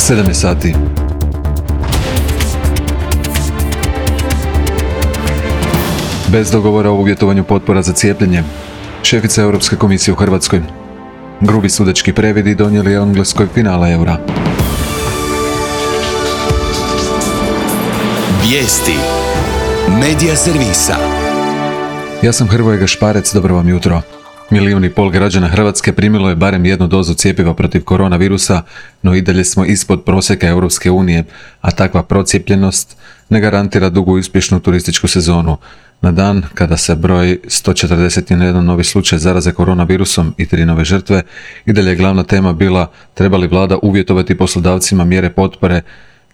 7 je sati. Bez dogovora o uvjetovanju potpora za cijepljenje. Šefica Europske komisije u Hrvatskoj. Grubi sudački previdi donijeli Engleskoj finala eura. Vijesti. Medija servisa. Ja sam Hrvoje Gašparec, dobro vam jutro. 1,5 milijuna građana Hrvatske primilo je barem jednu dozu cjepiva protiv koronavirusa, no i dalje smo ispod prosjeka Europske unije, a takva procijepljenost ne garantira dugu i uspješnu turističku sezonu. Na dan kada se broj 141 novi slučaj zaraze koronavirusom i 3 nove žrtve, i dalje je glavna tema bila treba li vlada uvjetovati poslodavcima mjere potpore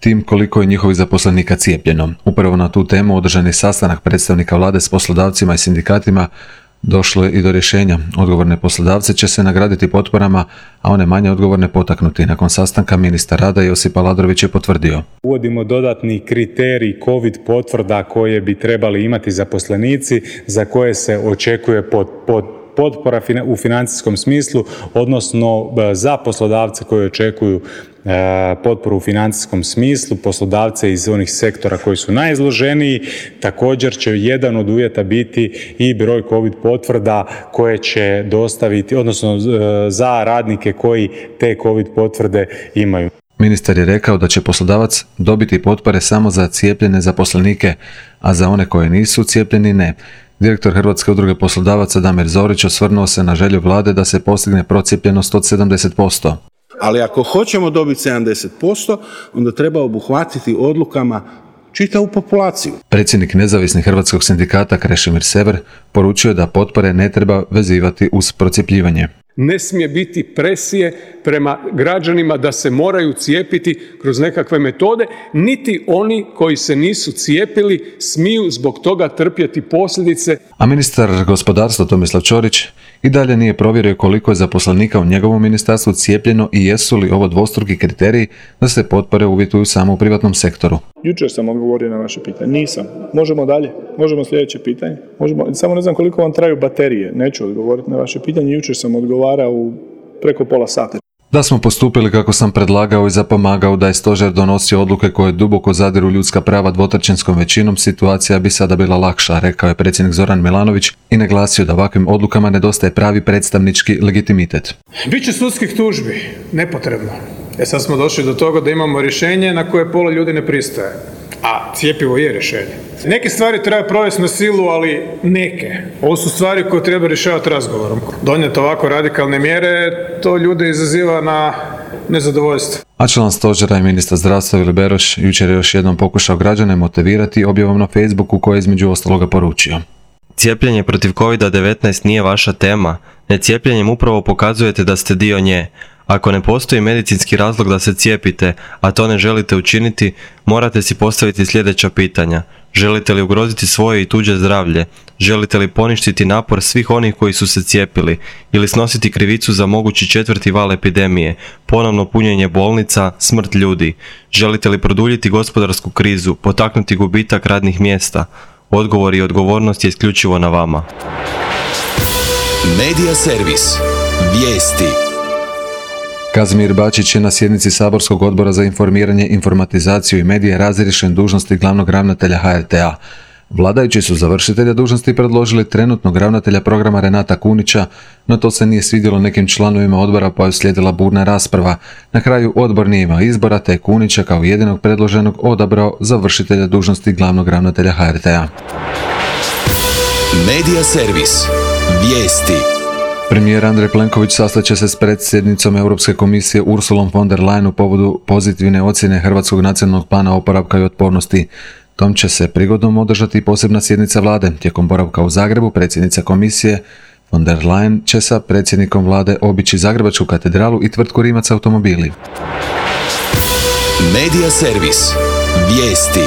tim koliko je njihovih zaposlenika cijepljeno. Upravo na tu temu održan je sastanak predstavnika vlade s poslodavcima i sindikatima. Došlo je i do rješenja. Odgovorne poslodavce će se nagraditi potporama, a one manje odgovorne potaknuti. Nakon sastanka ministar rada Josip Aladrović je potvrdio. Uvodimo dodatni kriterij COVID potvrda koje bi trebali imati zaposlenici za koje se očekuje potpora u financijskom smislu, odnosno za poslodavce koji očekuju potporu u financijskom smislu, poslodavce iz onih sektora koji su najizloženiji. Također će jedan od uvjeta biti i broj COVID potvrda koje će dostaviti, odnosno za radnike koji te COVID potvrde imaju. Ministar je rekao da će poslodavac dobiti potpore samo za cijepljene zaposlenike, a za one koje nisu cijepljeni ne. Direktor Hrvatske udruge poslodavaca Damir Zorić osvrnuo se na želju vlade da se postigne procijepljenost od 70%. Ali ako hoćemo dobiti 70%, onda treba obuhvatiti odlukama čitavu populaciju. Predsjednik nezavisnih hrvatskog sindikata Krešimir Sever poručio da potpore ne treba vezivati uz procjepljivanje. Ne smije biti presije prema građanima da se moraju cijepiti kroz nekakve metode, niti oni koji se nisu cijepili smiju zbog toga trpjeti posljedice. A ministar gospodarstva Tomislav Ćorić i dalje nije provjerio koliko je zaposlenika u njegovom ministarstvu cijepljeno i jesu li ovo dvostruki kriteriji da se potpore uvjetuju samo u privatnom sektoru. Jučer sam odgovorio na vaše pitanje. Nisam. Možemo dalje. Možemo sljedeće pitanje. Samo ne znam koliko vam traju baterije. Neću odgovoriti na vaše pitanje. Jučer sam odgovarao u preko pola sata. Da smo postupili kako sam predlagao i zapomagao da je stožer donosio odluke koje duboko zadiru ljudska prava dvotrećinskom većinom, situacija bi sada bila lakša, rekao je predsjednik Zoran Milanović i naglasio da ovakvim odlukama nedostaje pravi predstavnički legitimitet. Biće sudskih tužbi, nepotrebno. Sad smo došli do toga da imamo rješenje na koje pola ljudi ne pristaje. A cjepivo je rješenje. Neke stvari treba provesti na silu, ali neke. Ovo su stvari koje treba rješavati razgovorom. Donijeti ovako radikalne mjere, to ljude izaziva na nezadovoljstvo. A član stožera i ministar zdravstva Vili Beroš jučer je još jednom pokušao građane motivirati objavom na Facebooku koje je između ostaloga poručio. Cijepljenje protiv COVID-19 nije vaša tema. Necijepljenjem upravo pokazujete da ste dio nje. Ako ne postoji medicinski razlog da se cijepite, a to ne želite učiniti, morate si postaviti sljedeća pitanja. Želite li ugroziti svoje i tuđe zdravlje? Želite li poništiti napor svih onih koji su se cijepili? Ili snositi krivicu za mogući 4. val epidemije, ponovno punjenje bolnica, smrt ljudi? Želite li produljiti gospodarsku krizu, potaknuti gubitak radnih mjesta? Odgovor i odgovornost je isključivo na vama. Medija servis. Vijesti. Kazimir Bačić je na sjednici Saborskog odbora za informiranje, informatizaciju i medije razriješen dužnosti glavnog ravnatelja HRT-a. Vladajući su za vršitelja dužnosti predložili trenutnog ravnatelja programa Renata Kunića, no to se nije svidjelo nekim članovima odbora pa je uslijedila burna rasprava. Na kraju odbor nije imao izbora te je Kunića kao jedinog predloženog odabrao za vršitelja dužnosti glavnog ravnatelja HRT-a. Medija servis. Vijesti. Premijer Andrej Plenković sastaće se s predsjednicom Europske komisije Ursulom von der Leyen u povodu pozitivne ocjene Hrvatskog nacionalnog plana oporavka i otpornosti. Tom će se prigodom održati posebna sjednica vlade. Tijekom boravka u Zagrebu predsjednica komisije von der Leyen će sa predsjednikom vlade obići Zagrebačku katedralu i tvrtku Rimac automobili. Medija servis. Vijesti.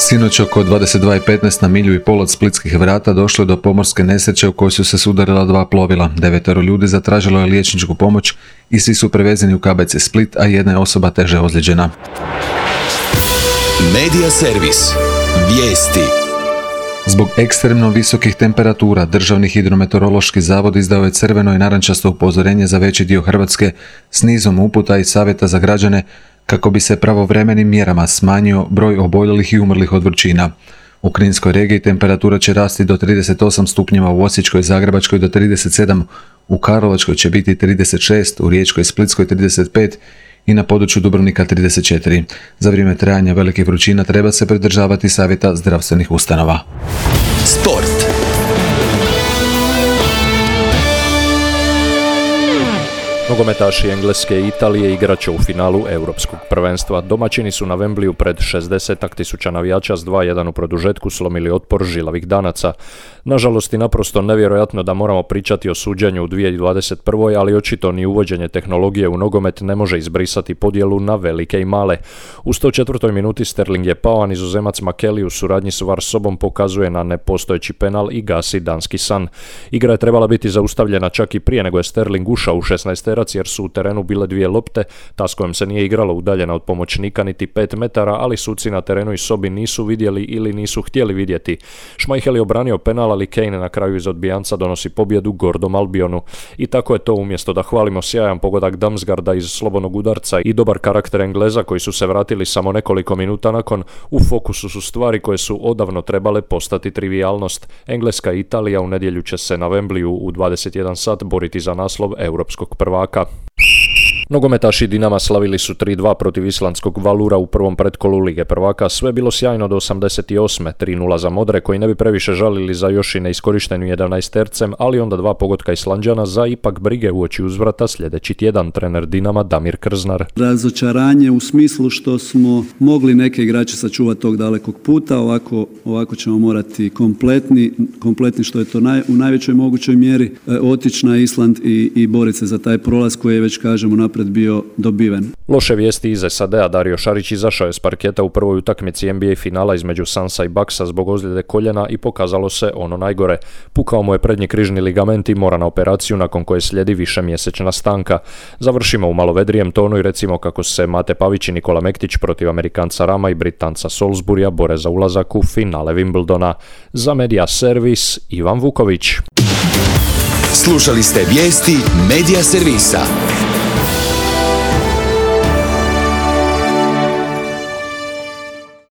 Sinoć oko 22:15 na milju i pol od Splitskih vrata došlo je do pomorske nesreće u kojoj su se sudarila 2 plovila. 9 ljudi zatražilo je liječničku pomoć i svi su prevezeni u KBC Split, a jedna je osoba teže ozlijeđena. Medija servis. Vijesti. Zbog ekstremno visokih temperatura, Državni hidrometeorološki zavod izdao je crveno i narančasto upozorenje za veći dio Hrvatske s nizom uputa i savjeta za građane kako bi se pravovremenim mjerama smanjio broj oboljelih i umrlih od vrućina. U Kninskoj regiji temperatura će rasti do 38 stupnjeva, u Osječkoj i Zagrebačkoj do 37, u Karlovačkoj će biti 36, u Riječkoj i Splitskoj 35 i na području Dubrovnika 34. Za vrijeme trajanja velikih vrućina treba se pridržavati savjeta zdravstvenih ustanova. Sport. Nogometaši Engleske i Italije igrat će u finalu Europskog prvenstva. Domaćini su na Wembleyu pred 60.000 navijača s 2:1 u produžetku slomili otpor žilavih danaca. Nažalost i naprosto nevjerojatno da moramo pričati o suđenju u 2021. ali očito ni uvođenje tehnologije u nogomet ne može izbrisati podjelu na velike i male. U 104. minuti Sterling je pao, a Nizozemac Makeli u suradnji s VAR sobom pokazuje na nepostojeći penal i gasi danski san. Igra je trebala biti zaustavljena čak i prije nego je Sterling ušao u 16 jer su u terenu bile 2 lopte, ta s kojom se nije igralo udaljena od pomoćnika niti 5 metara, ali suci na terenu i sobi nisu vidjeli ili nisu htjeli vidjeti. Schmeichel je obranio penal, ali Kane na kraju iz odbijanca donosi pobjedu gordom Albionu. I tako je to, umjesto da hvalimo sjajan pogodak Damsgaarda iz slobodnog udarca i dobar karakter Engleza koji su se vratili samo nekoliko minuta nakon, u fokusu su stvari koje su odavno trebale postati trivijalnost. Engleska i Italija u nedjelju će se na Wembleyu u 21 sat boriti za naslov europskog prvaka. Nogometaši Dinama slavili su 3:2 protiv islandskog Valura u prvom pretkolu Lige prvaka. Sve bilo sjajno do 88. 3:0 za Modre koji ne bi previše žalili za još i neiskorištenu 11-tercem, ali onda 2 pogotka Islanđana za ipak brige uoči uzvrata sljedeći tjedan. Trener Dinama Damir Krznar. Razočaranje u smislu što smo mogli neke igrače sačuvati tog dalekog puta, ovako ćemo morati kompletni što je to u najvećoj mogućoj mjeri otići na Island i boriti se za taj prolaz koji je već kažemo napred bio dobiven. Loše vijesti iz SAD-a. Dario Šarić izašao je s parketa u prvoj utakmici NBA finala između Sunsa i Bucksa zbog ozljede koljena i pokazalo se ono najgore. Pukao mu je prednji križni ligament i mora na operaciju nakon koje slijedi višemjesečna stanka. Završimo u malo vedrijem tonu i recimo kako se Mate Pavić i Nikola Mektić protiv Amerikanca Rama i Britanca Salisburya bore za ulazak u finale Wimbledona. Za Media Servis Ivan Vuković. Slušali ste vijesti Media Servisa.